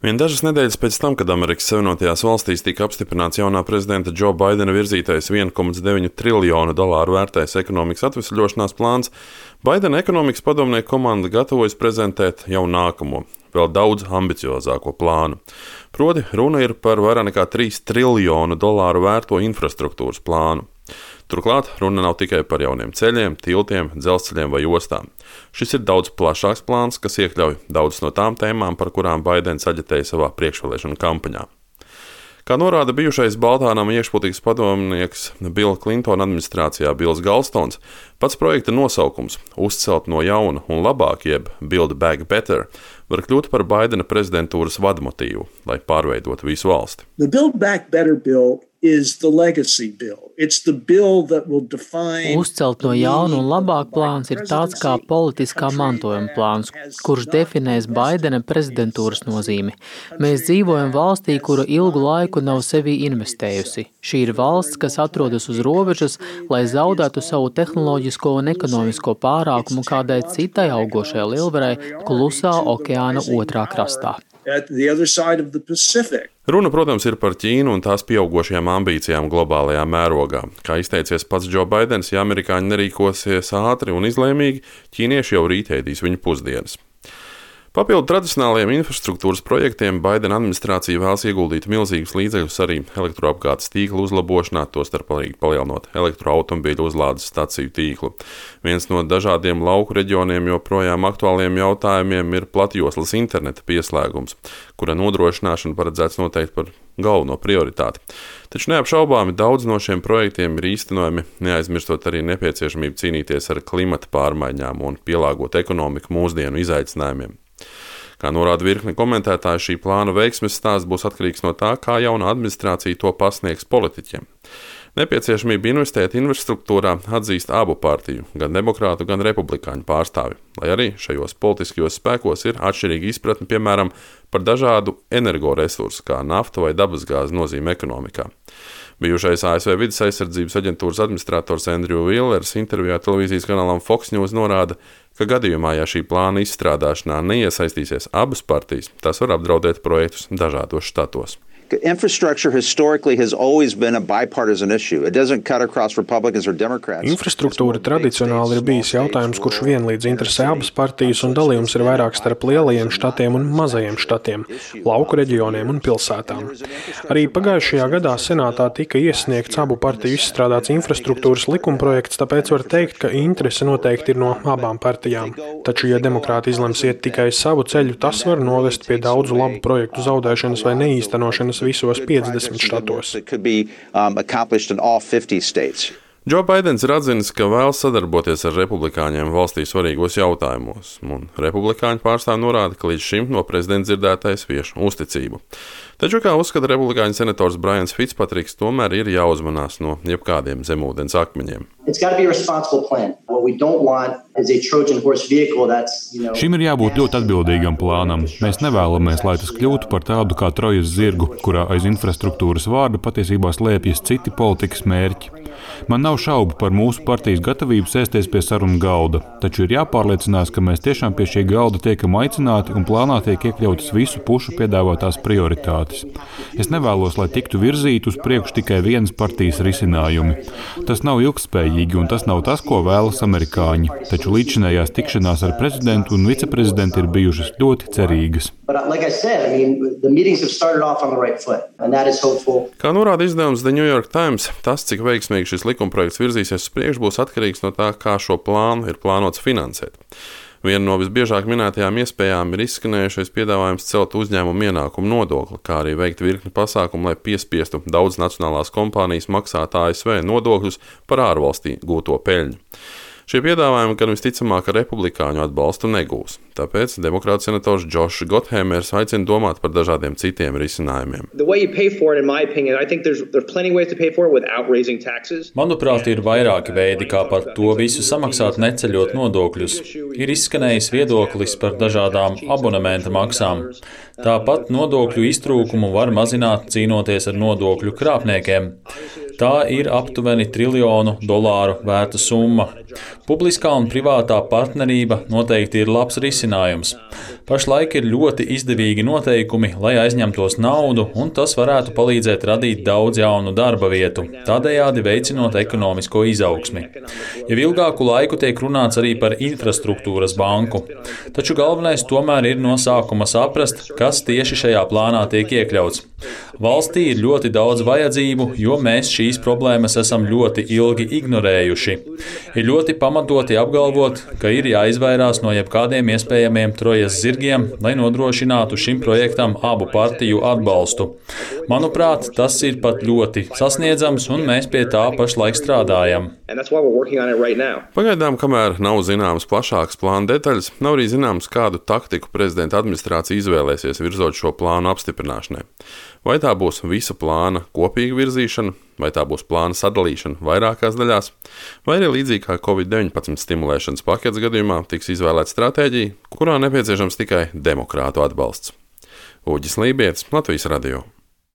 Vien dažas nedēļas pēc tam, kad Amerikas Savienotajās valstīs tika apstiprināts jaunā prezidenta Džo Baidena virzītais $1,9 triljonu vērtais ekonomikas atvesļošanās plāns, Baidena ekonomikas padomnieku komanda gatavojas prezentēt jau nākamo, vēl daudz ambiciozāko plānu. Proti, runa ir par vairāk nekā $3 triljonu vērto infrastruktūras plānu. Turklāt runa nav tikai par jauniem ceļiem, tiltiem, dzelzceļiem vai ostām. Šis ir daudz plašāks plāns, kas iekļauj daudzas no tām tēmām, par kurām Baidens aģitēja savā priekšvēlēšanu kampaņā. Kā norāda bijušais Baltānama iekšpolitikas padomnieks Billa Klintona administrācijā Bills Galstons, pats projekta nosaukums "Uzcelt no jauna un labāk" jeb Build Back Better var kļūt par Baidena prezidentūras vadmotīvu, lai pārveidotu visu valsti. The Build Back Better bill is the legacy bill. It's the bill that will define. Uzcelt no jauna un labāk plāns ir tāds kā politiskā mantojuma plāns, kurš definēs Baidena prezidentūras nozīmi. Mēs dzīvojam valstī, kura ilgu laiku nav sevī investējusi. Šī ir valsts, kas atrodas uz robežas, lai zaudētu savu tehnoloģisko un ekonomisko pārākumu kādai citai augošai lielvarai Klusā okeāna otrā krastā. Runa, protams, ir par Ķīnu un tās pieaugošajām ambīcijām globālajā mērogā. Kā izteicies pats Džo Baidens, ja amerikāņi nerīkosies ātri un izlēmīgi, ķīnieši jau rīt ēdīs viņu pusdienas. Papildu tradicionālajiem infrastruktūras projektiem Baidena administrācija vēlas ieguldīt milzīgus līdzekļus arī elektroapgādes tīkla uzlabošanā, tostarp arī palielinot elektroautomobīļu uzlādes staciju tīklu. Viens no dažādiem lauku reģioniem joprojām aktuāliem jautājumiem ir platjoslas interneta pieslēgums, kura nodrošināšana paredzēts noteikti par galveno prioritāti. Taču neapšaubāmi daudz no šiem projektiem ir īstenojami, neaizmirstot arī nepieciešamību cīnīties ar klimata pārmaiņām un pielāgot ekonomiku mūsdienu izaicinājumiem. Kā norāda virkne komentētāji, šī plāna veiksmes stāsts būs atkarīgs no tā, kā jauna administrācija to pasniegs politiķiem. Nepieciešamība investēt infrastruktūrā atzīst abu partiju, gan demokrātu, gan republikāņu pārstāvi, lai arī šajos politiskajos spēkos ir atšķirīga izpratne, piemēram, par dažādu energoresursu, kā nafta vai dabasgāze nozīme ekonomikā. Bijušais ASV vides aizsardzības aģentūras administrators Andrew Willers intervijā televīzijas kanālam Fox News norāda, ka gadījumā, ja šī plāna izstrādāšanā neiesaistīsies abas partijas, tas var apdraudēt projektus dažādos štatos. Infrastructure historically has always been a bipartisan issue. It doesn't cut across Republicans or Democrats. Infrastruktūra tradicionāli ir bijis jautājums, kurš vienlīdz interesē abas partijas, un dalījums ir vairāk starp lielajiem štatiem un mazajiem štatiem, lauku reģioniem un pilsētām. Arī pagājušajā gadā senātā tika iesniegts abu partiju izstrādāts infrastruktūras likumprojekts, tāpēc var teikt, ka interese noteikti ir no abām partijām. Taču, ja demokrāti izlems iet tikai savu ceļu, tas var novest pie daudzu labu projektu zaudēšanas vai neīstenošanas visos 50 štatos. Džo Baidens ir atzinis, ka vēlas sadarboties ar republikāņiem valstī svarīgos jautājumos, un republikāņu pārstāvji norāda, ka līdz šim no prezidenta dzirdētais vieš uzticību. Taču, kā uzskata republikāņu senators Brians Fitzpatricks, tomēr ir jāuzmanās no jebkādiem zemūdens akmeņiem. Šim ir jābūt ļoti atbildīgam plānam. Mēs nevēlamies, lai tas kļūtu par tādu kā Trojas zirgu, kurā aiz infrastruktūras vārda patiesībā slēpjas citi politikas mērķi. Man nav šaubu par mūsu partijas gatavību sēsties pie sarunu galda, taču ir jāpārliecinās, ka mēs tiešām pie šī galda tiekam aicināti un plānā tiek iekļautas visu pušu piedāvātās prioritātes. Es nevēlos, lai tiktu virzīti uz priekšu tikai vienas partijas risinājumi. Tas nav ilgspējīgi un tas nav tas, ko vēlas amerikāņi, taču līdzinājās tikšanās ar prezidentu un viceprezidentu ir bijušas ļoti cerīgas. Kā norāda izdevums The New York Times, tas, cik veiksmīgi šis likumprojekts virzīsies uz priekšu, būs atkarīgs no tā, kā šo plānu ir plānots finansēt. Viena no visbiežāk minētajām iespējām ir izskanējušais piedāvājums celt uzņēmumu ienākumu nodokli, kā arī veikt virkni pasākumu, lai piespiestu daudz nacionālās kompānijas maksāt ASV nodokļus par ārvalstī gūto peļņu. Šie piedāvājumi gan visticamāk republikāņu atbalstu negūs, tāpēc demokrātu senators Josh Gotthēmers aicina domāt par dažādiem citiem risinājumiem. Manuprāt, ir vairāki veidi, kā par to visu samaksāt, neceļot nodokļus. Ir izskanējis viedoklis par dažādām abonementa maksām. Tāpat nodokļu iztrūkumu var mazināt, cīnoties ar nodokļu krāpniekiem. Tā ir aptuveni $1 triljonu vērta summa. Publiskā un privātā partnerība noteikti ir labs risinājums. Pašlaik ir ļoti izdevīgi noteikumi, lai aizņemtos naudu, un tas varētu palīdzēt radīt daudz jaunu darba vietu, tādējādi veicinot ekonomisko izaugsmi. Jau ilgāku laiku tiek runāts arī par infrastruktūras banku, taču galvenais tomēr ir no sākuma saprast, kas tieši šajā plānā tiek iekļauts. Valstī ir ļoti daudz vajadzību, jo mēs šīs problēmas esam ļoti ilgi ignorējuši. Ir ļoti pamatoti apgalvot, ka ir jāizvairās no jebkādiem iespējamiem trojas zirgiem, lai nodrošinātu šim projektam abu partiju atbalstu. Manuprāt, tas ir pat ļoti sasniedzams, un mēs pie tā pašlaik strādājam. Pagaidām, kamēr nav zināmas plašākas plāna detaļas, nav arī zināms, kādu taktiku prezidenta administrācija izvēlēsies virzot šo plānu apstiprināšanai. Vai tā būs visa plāna kopīga virzīšana, vai tā būs plāna sadalīšana vairākās daļās, vai arī līdzīgi kā Covid-19 stimulēšanas paketes gadījumā tiks izvēlēta stratēģija, kurā nepieciešams tikai demokrātu atbalsts. Uģis Lībietis, Latvijas radio.